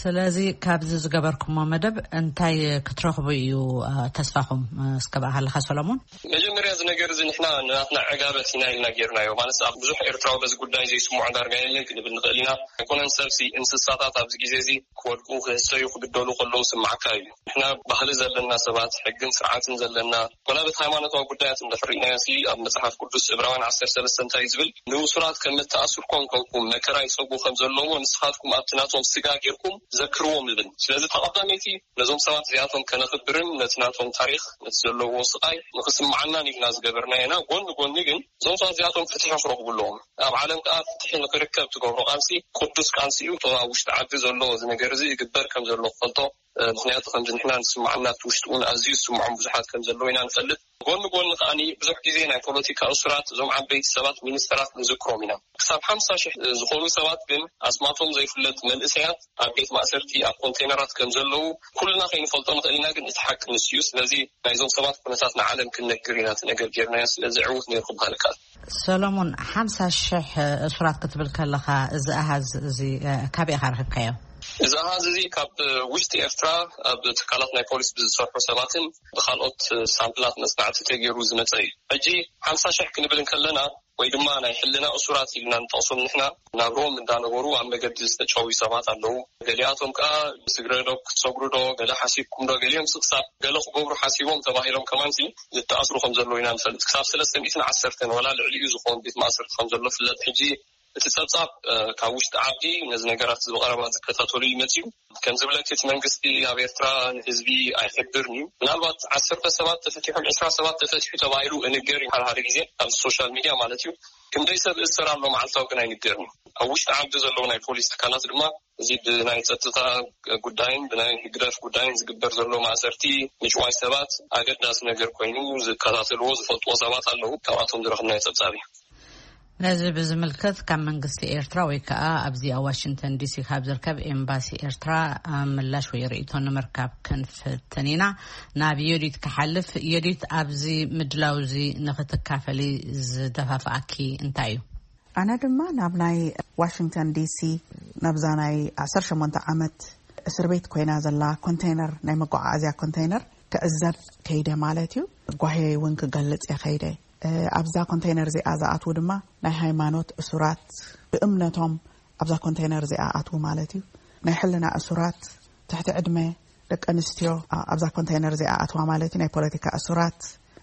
ስለዚ ካብዚ ዝገበርኩሞ መደብ እንታይ ክትረኽቡ እዩ፣ እ፣ ተስፋኹም? እ፣ እስከ ብኣኻ ኣለኻ ሰሎሞን። መጀመርያ እዚ ነገር እዚ ንሕና ንናትና ዕጋበት ኢና ኢልና ጌርናዮ። ማለት ኣብ ብዙሕ ኤርትራዊ በዚ ጉዳይ ዘይስምዖ ዳርጋ የለን ክንብል ንኽእል ኢና። ኣይኮነን ሰብሲ፣ እንስሳታት ኣብዚ ግዜ እዚ ክወድቁ፣ ክህሰዩ፣ ክግደሉ ከለዉ ስምዓካ እዩ። ንሕና ባህሊ ዘለና ሰባት፣ ሕግን ስርዓትን ዘለና፣ ኮና በቲ ሃይማኖታዊ ጉዳያት እንድሕር ርኢናዮሲ፣ ኣብ መጽሓፍ ቅዱስ ዕብራውያን ዓሰርተ ሰለስተ እንታይ እዩ ዝብል? ንእሱራት ከም እተኣስርኮም ኮንኩም መከራ ይጸግቡ ከም ዘለዎ፣ ንስኻትኩም ኣብቲ ናቶም ስጋ ጌርኩም ዘክርዎም ይብል። ስለዚ ተቐዳመይቲ ነዞም ሰባት እዚኣቶም ከነኽብርን ነቲ ናቶም ታሪኽ፣ ነቲ ዘለዎ ስቓይ ንኽስምዓናን ኢልና ዝገበርናዮ ኢና። ጎኒ ጎኒ ግን እዞም ሰባት እዚኣቶም ፍትሒ ክረኽቡ ኣለዎም። ኣብ ዓለም ከኣ ፍትሒ ንኽርከብ ትገብሮ ቃልሲ ቅዱስ ቃልሲ እዩ። እቶ ኣብ ውሽጢ ዓዲ ዘሎ እዚ ነገር እዚ ይግበር ከም ዘሎ ክፈልጦ፣ እ፣ ምኽንያቱ ከምዚ ንሕና ንስምዓና ኣብቲ ውሽጢ እውን ኣዝዩ ዝስምዖም ብዙሓት ከም ዘለዉ ኢና ንፈልጥ። ጎኒ ጎኒ ከኣኒ ብዙሕ ግዜ ናይ ፖለቲካ እሱራት፣ እዞም ዓበይቲ ሰባት፣ ሚኒስተራት ንዝክሮም ኢና። ክሳብ ሓምሳ ሽሕ ዝኾኑ ሰባት ግን ኣስማቶም ዘይፍለጥ መንእሰያት ኣብ ቤት ማእሰርቲ ኣብ ኮንቴነራት ከም ዘለዉ ኩልና ከይንፈልጦ ንኽእል ኢና፣ ግን እቲ ሓቂ ንሱ እዩ። ስለዚ ናይዞም ሰባት ኩነታት ንዓለም ክንነግር ኢና እቲ ነገር ጌርናዮ። ስለዚ ዕዉት ነይሩ ክበሃል ይከኣል። ሰሎሞን፣ ሓምሳ ሽሕ እሱራት ክትብል ከለኻ፣ እዚ ኣሃዝ እዚ፣ እ፣ ካበይ ኢኻ ረኺብካዮ? እዚ ኣሃዝ እዚ ካብ ውሽጢ ኤርትራ ኣብ ትካላት ናይ ፖሊስ ብዝሰርሑ ሰባትን ብኻልኦት ሳምፕላት መጽናዕቲ ተገይሩ ዝመጸ እዩ። ሕጂ ሓምሳ ሽሕ ክንብል እንከለና፣ ወይ ድማ ናይ ሕልና እሱራት ኢልና ንጠቕሶም ንሕና፣ ናብርኦም እንዳነበሩ ኣብ መገዲ ዝተጨውዩ ሰባት ኣለዉ። ገሊኣቶም ከኣ ስግረ ዶ ክትሰግሩ ዶ፣ ገለ ሓሲብኩም ዶ፣ ገሊኦም ስቕሳብ ገለ ክገብሩ ሓሲቦም ተባሂሎም ከማንሲ ዝተኣስሩ ከም ዘለዉ ኢና ንፈልጥ። ክሳብ ሰለስተ ሚእትን ዓሰርተን ወላ ልዕሊኡ ዝኸውን ቤት ማእሰርቲ ከም ዘሎ ፍለጥ። ሕጂ እቲ ጸብጻብ፣ እ፣ ካብ ውሽጢ ዓዲ ነዚ ነገራት እዚ ብቐረባ ዝከታተሉ እዩ መጺኡ። ከም ዝብለኪ እቲ መንግስቲ ኣብ ኤርትራ ንህዝቢ ኣይሕብርን እዩ። ምናልባት ዓሰርተ ሰባት ተፈቲሖም፣ ዕስራ ሰባት ተፈቲሑ ተባሂሉ እንገር እዩ ሓደ ሓደ ግዜ ኣብዚ ሶሻል ሚድያ ማለት እዩ። ክንደይ ሰብ እሰር ኣሎ መዓልታዊ ግን ኣይንገርን እዩ። ኣብ ውሽጢ ዓዲ ዘለዉ ናይ ፖሊስ ትካላት ድማ እዚ ብናይ ጸጥታ ጉዳይን ብናይ ህግደፍ ጉዳይን ዝግበር ዘሎ ማእሰርቲ ምጭዋይ ሰባት ኣገዳሲ ነገር ኮይኑ ዝከታተልዎ ዝፈልጥዎ ሰባት ኣለዉ። ካብኣቶም ዝረኽብናዮ ጸብጻብ እዩ። ነዚ ብዝምልከት ካብ መንግስቲ ኤርትራ ወይ ከኣ ኣብዚ ኣብ ዋሽንግተን ዲሲ ካብ ዝርከብ ኤምባሲ ኤርትራ ምላሽ ወይ ርእይቶ ንምርካብ ክንፍትን ኢና። ናብ ዮዲት ክሓልፍ። ዮዲት፣ ኣብዚ ምድላው እዚ ንኽትካፈሊ ዝደፋፍኣኪ እንታይ እዩ? ኣነ ድማ ናብ ናይ ዋሽንግተን ዲሲ፣ ናብዛ ናይ ዓሰርተ ሸሞንተ ዓመት እስር ቤት ኮይና ዘላ ኮንቴነር፣ ናይ መጓዓዓዝያ ኮንቴነር ክዕዘብ ከይደ ማለት እዩ። ጓሄ እውን ክገልጽ እየ ከይደ። እ፣ ኣብዛ ኮንቴነር እዚኣ ዝኣትዉ ድማ ናይ ሃይማኖት እሱራት፣ ብእምነቶም ኣብዛ ኮንቴነር እዚኣ ኣትዉ ማለት እዩ። ናይ ሕልና እሱራት፣ ትሕቲ ዕድመ ደቂ ኣንስትዮ፣ ኣ-፣ ኣብዛ ኮንቴነር እዚኣ ኣትዋ ማለት እዩ። ናይ ፖለቲካ እሱራት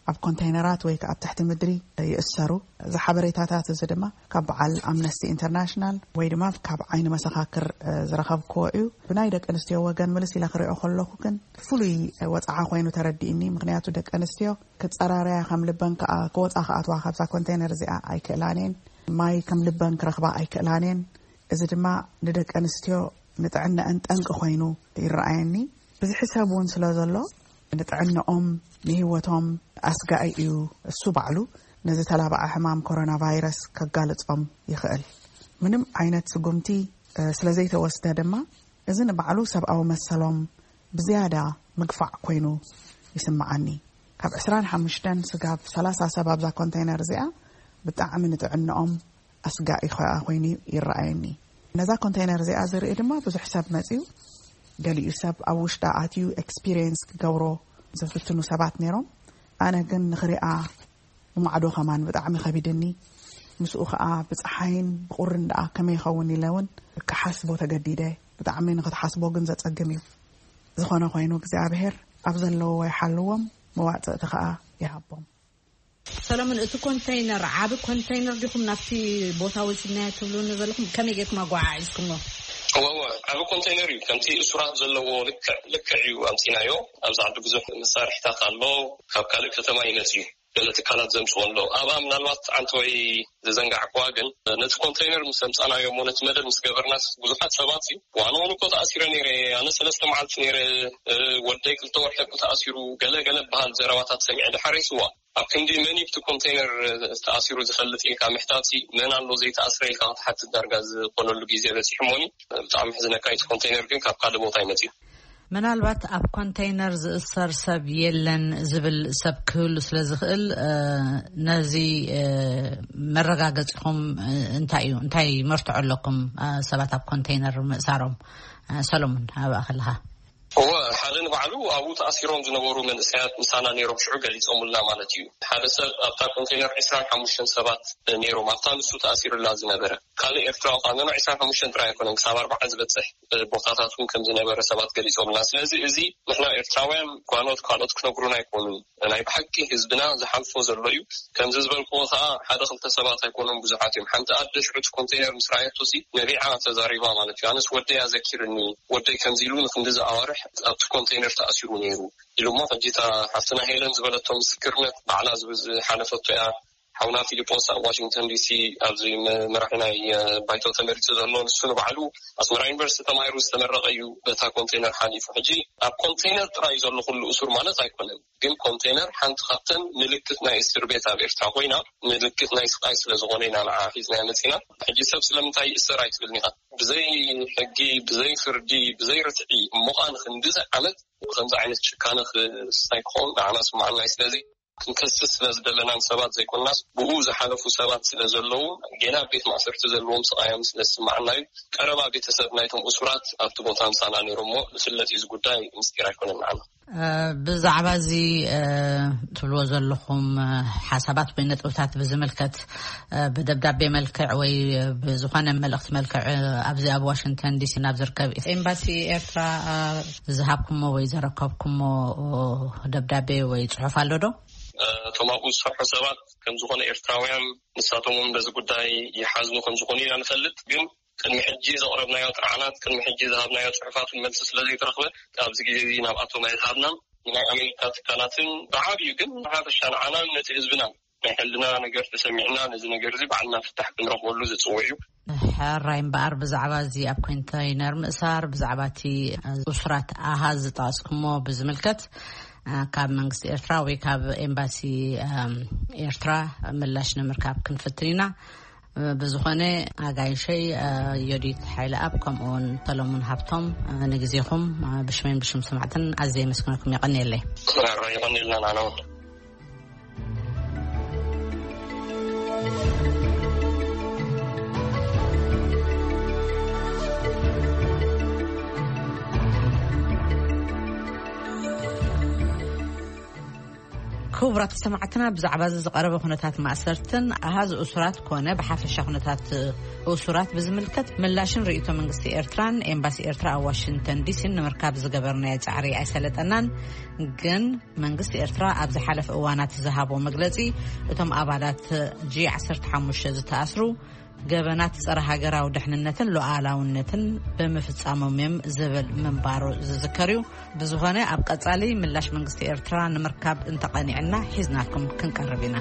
ኣብ ኮንቴነራት ወይ ከኣ ኣብ ትሕቲ ምድሪ ይእሰሩ። እዚ ሓበሬታታት እዚ ድማ ካብ በዓል ኣምነስቲ ኢንተርናሽናል ወይ ድማ ካብ ዓይኒ መሰኻክር፣ እ፣ ዝረኸብክዎ እዩ። ብናይ ደቂ ኣንስትዮ ወገን ምልስ ኢለ ክሪኦ ከለኹ ግን ፍሉይ ወጽዓ ኮይኑ ተረዲእኒ። ምኽንያቱ ደቂ ኣንስትዮ ክጸራረያ ከም ልበን ከኣ ክወጻ ክኣትዋ ካብዛ ኮንቴነር እዚኣ ኣይክእላን እየን። ማይ ከም ልበን ክረኽባ ኣይክእላን እየን። እዚ ድማ ንደቂ ኣንስትዮ ንጥዕነአን ጠንቂ ኮይኑ ይረኣየኒ። ብዝሒ ሰብ እውን ስለ ዘሎ ንጥዕነኦም ንህይወቶም ኣስጋኢ እዩ። እሱ ባዕሉ ነዚ ተላባዒ ሕማም ኮሮና ቫይረስ ከጋልጾም ይኽእል። ምንም ዓይነት ስጉምቲ፣ እ፣ ስለ ዘይተወስደ ድማ እዚ ንባዕሉ ሰብኣዊ መሰሎም ብዝያዳ ምግፋዕ ኮይኑ ይስምዓኒ። ካብ ዕስራን ሓሙሽተን ስጋብ ሰላሳ ሰብ ኣብዛ ኮንቴነር እዚኣ ብጣዕሚ ንጥዕንኦም ኣስጋኢ ኸኣ ኮይኑ ይረኣየኒ። ነዛ ኮንቴነር እዚኣ ዝርኢ ድማ ብዙሕ ሰብ መጺኡ፣ ገሊኡ ሰብ ኣብ ውሽጣ ኣትዩ ኤክስፒሪየንስ ክገብሮ ዝፍትኑ ሰባት ነይሮም። ኣነ ግን ንኽሪኣ ብማዕዶ ከማን ብጣዕሚ ከቢድኒ። ምስኡ ኸኣ ብጸሓይን ብቑርን ደኣ ከመይ ይኸውን ኢለ እውን ክሓስቦ ተገዲደ። ብጣዕሚ ንኽትሓስቦ ግን ዘጸግም እዩ። ዝኾነ ኮይኑ እግዚኣብሔር ኣብ ዘለዎ ይሓልዎም፣ መዋጽእቲ ኸኣ ይሃቦም። ሰለሙን፣ እቲ ኮንተይነር ዓቢ ኮንተይነር ዲኹም ናብቲ ቦታ ወሲድናዮ ትብሉኒ ዘለኹም? ከመይ ጌርኩም ኣጓዓዒዝኩሞ? እወ፣ እወ፣ ዓቢ ኮንተይነር እዩ። ከምቲ እሱራት ዘለዎ ልክዕ፣ ልክዕ እዩ ኣምጺናዮ። ኣብዚ ዓዲ ብዙሕ መሳርሒታት ኣሎ፣ ካብ ካልእ ከተማ ይመጽእ እዩ። ገለ ትካላት ዘምጽኦ ኣሎ። ኣብኣ ምናልባት ዓንተወይ ዝዘንጋዕኩዋ ግን፣ ነቲ ኮንተይነር ምስ ኣምጻናዮ እሞ ነቲ መደብ ምስ ገበርናስ ብዙሓት ሰባት እዩ። ዋንውን እኮ ተኣሲረ ነይረ። ኣነ ሰለስተ መዓልቲ ነይረ። እ፣ ወደይ ክልተ ወርሒ እኮ ተኣሲሩ። ገለ ገለ በሃል ዘረባታት ሰሚዐ። ድሓር ይስዋ ኣብ ክንዲ መን እዩ ብቲ ኮንተይነር ተኣሲሩ ዝፈልጥ ኢልካ ምሕታትሲ፣ መን ኣሎ ዘይተኣስረ ኢልካ ክትሓትት ዳርጋ ዝኾነሉ ግዜ በጺሑ እሞኒ። ብጣዕሚ ሕዝነካ፣ እቲ ኮንተይነር ግን ካብ ካልእ ቦታ ይመጽእ። ምናልባት ኣብ ኮንተይነር ዝእሰር ሰብ የለን ዝብል ሰብ ክህሉ ስለ ዝኽእል፣ እ፣ ነዚ፣ እ፣ መረጋገጺኹም፣ እ፣ እንታይ እዩ? እንታይ መርትዖ ኣለኩም፣ እ፣ ሰባት ኣብ ኮንተይነር ምእሳሮም? እ፣ ሰሎሞን፣ ኣብኣ ከለኻ። እወ፣ ሓደ ንባዕሉ ኣብኡ ተኣሲሮም ዝነበሩ መንእሰያት ምሳና ነይሮም፣ ሽዑ ገሊጾምልና ማለት እዩ። ሓደ ሰብ ኣብታ ኮንተይነር ዕስራን ሓሙሽተን ሰባት ነይሮም፣ ኣብታ ንሱ ተኣሲሩላ ዝነበረ። ካልእ ኤርትራዊ ኸኣ፣ ኖኖ፣ ዕስራን ሓሙሽተን ጥራይ ኣይኮነን፣ ክሳብ ኣርባዓ ዝበጽሕ፣ እ፣ ቦታታት እውን ከም ዝነበረ ሰባት ገሊጾምልና። ስለዚ እዚ ንሕና ኤርትራውያን ጓኖት ካልኦት ክነግሩና ኣይኮኑን። ናይ ብሓቂ ህዝብና ዝሓልፎ ዘሎ እዩ። ከምዚ ዝበልክዎ ኸኣ ሓደ ክልተ ሰባት ኣይኮኑን፣ ብዙሓት እዮም። ሓንቲ ኣደ ሽዑ እቲ ኮንተይነር ምስ ረኣየቶሲ ነቢዓ ተዛሪባ ማለት እዩ። ኣነስ ወደይ ኣዘኪርኒ፣ ወደይ ከምዚ ኢሉ ንክንድዚ ኣዋርሕ ኣብቲ ኮንተይነር ተኣሲሩ ነይሩ ኢሉ እሞ፣ ሕጂ እታ ሓፍትና ሄለን ዝበለቶ ምስክርነት ባዕላ ዝብ-፣ ዝሓለፈቶ እያ። ሓውና ፊሊጶስ ኣብ ዋሽንግተን ዲሲ ኣብዚ መ-፣ መራሒ ናይ፣ እ፣ ባይቶ ተመሪጹ ዘሎ፣ ንሱ ንባዕሉ ኣስመራ ዩኒቨርሲቲ ተማሂሩ ዝተመረቐ እዩ። በታ ኮንቴነር ሓሊፉ። ሕጂ ኣብ ኮንቴነር ጥራይ ዘሎ ኩሉ እሱር ማለት ኣይኮነን፣ ግን ኮንቴነር ሓንቲ ካብተን ምልክት ናይ እስር ቤት ኣብ ኤርትራ ኮይና፣ ምልክት ናይ ስቃይ ስለ ዝኾነ ኢና ንዓ ሒዝና መጺና። ሕጂ ሰብ ስለምንታይ ይእሰር ኣይትብልኒ ኢኻ። ብዘይ ሕጊ፣ ብዘይ ፍርዲ፣ ብዘይ ርትዒ እሞ ኸኣ ንክንድዚ ዓመት ከምዚ ዓይነት ጭካነ ክስታይ ክኸውን ንዓና ስምዓና እዩ። ስለዚ ክንከስስ ስለ ዝደለናን ሰባት ዘይኮንናስ፣ ብኡ ዝሓለፉ ሰባት ስለ ዘለዉ፣ ጌና ኣብ ቤት ማእሰርቲ ዘለዎም ስቓዮም ስለ ዝስምዓና እዩ። ቀረባ ቤተሰብ ናይቶም እሱራት ኣብቲ ቦታ ምሳና ነይሮም እሞ፣ ዝፍለጥ እዩ፣ እዚ ጉዳይ ምስጢር ኣይኮነን ንዓና። እ፣ ብዛዕባ እዚ፣ እ፣ ትብልዎ ዘለኹም፣ እ፣ ሓሳባት ወይ ነጥብታት ብዝምልከት፣ እ፣ ብደብዳቤ መልክዕ ወይ ብዝኾነ መልእኽቲ መልክዕ፣ እ፣ ኣብዚ ኣብ ዋሽንግተን ዲሲ ናብ ዝርከብ ኤምባሲ ኤርትራ፣ እ፣ ዝሃብኩሞ ወይ ዘረከብኩሞ፣ እ፣ ደብዳቤ ወይ ጽሑፍ ኣሎ ዶ? እቶም ኣብኡ ዝሰርሑ ሰባት ከም ዝኾነ ኤርትራውያን ንሳቶም እውን በዚ ጉዳይ ይሓዝኑ ከም ዝኾኑ ኢና ንፈልጥ። ግን ቅድሚ ሕጂ ዘቕረብናዮ ጥርዓናት፣ ቅድሚ ሕጂ ዝሃብናዮ ጽሑፋትን መልሲ ስለ ዘይተረኽበ፣ ኣብዚ ግዜ እዚ ናብኣቶም ኣይዝሃብናን። ንናይ ኣሜሪካ ትካላትን ብዓብዩ ግን ብሓፈሻ ንዓናን ነቲ ህዝብናን ናይ ሕልና ነገር ተሰሚዕና፣ ነዚ ነገር እዚ ባዕልና ፍታሕ ክንረኽበሉ ዝጽውዕ እዩ። ሕራይ እምበኣር፣ ብዛዕባ እዚ ኣብ ኮንተይነር ምእሳር፣ ብዛዕባ እቲ እሱራት ኣሃዝ ዝጠቐስኩሞ ብዝምልከት፣ እ፣ ካብ መንግስቲ ኤርትራ ወይ ካብ ኤምባሲ፣ እም፣ ኤርትራ ምላሽ ንምርካብ ክንፍትን ኢና። እ፣ ብዝኾነ ኣጋይሸይ፣ እ፣ ዮዲት ሓይለኣብ ከምኡውን ሰሎሙን ሃብቶም፣ እ፣ ንግዜኹም፣ እ፣ ብሽመይን ብሽም ሰማዕትን ኣዝየ የመስግነኩም። የቐንየለይ። ሕራይ፣ የቐንየልና ንዓና እውን። ክቡራት ሰማዕትና፣ ብዛዕባ እዚ ዝቐረበ ኩነታት ማእሰርትን ኣሃዝ እሱራት ኮነ ብሓፈሻ ኩነታት እሱራት ብዝምልከት ምላሽን ርእይቶ መንግስቲ ኤርትራን ኤምባሲ ኤርትራ ኣብ ዋሽንግተን ዲሲን ንምርካብ ዝገበርናዮ ጻዕሪ ኣይሰለጠናን። ግን መንግስቲ ኤርትራ ኣብ ዝሓለፈ እዋናት ዝሃቦ መግለጺ፣ እቶም ኣባላት ጂ ዓሰርተ ሓሙሽተ ዝተኣስሩ ገበናት ጸረ ሃገራዊ ድሕንነትን ሉዓላውነትን ብምፍጻሞም እዮም ዝብል ምንባሩ ዝዝከር እዩ። ብዝኾነ፣ ኣብ ቀጻሊ ምላሽ መንግስቲ ኤርትራ ንምርካብ እንተቐኒዕና ሒዝናልኩም ክንቀርብ ኢና።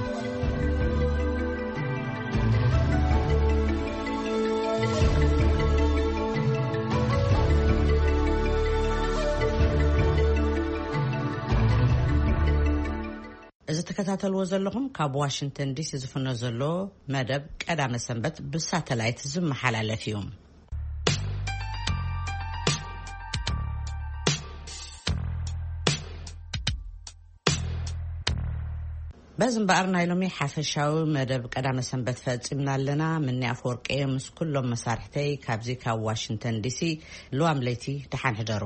እዚ ትከታተልዎ ዘለኹም ካብ ዋሽንግተን ዲሲ ዝፍኖ ዘሎ መደብ ቀዳመ ሰንበት ብሳተላይት ዝመሓላለፍ እዩ። በዚ እምበኣር ናይ ሎሚ ሓፈሻዊ መደብ ቀዳመ ሰንበት ፈጺምና ኣለና። ምኒ ኣፈወርቂ ምስ ኩሎም መሳርሕተይ ካብዚ ካብ ዋሽንግተን ዲሲ ልዋም ለይቲ ደሓን ሕደሩ።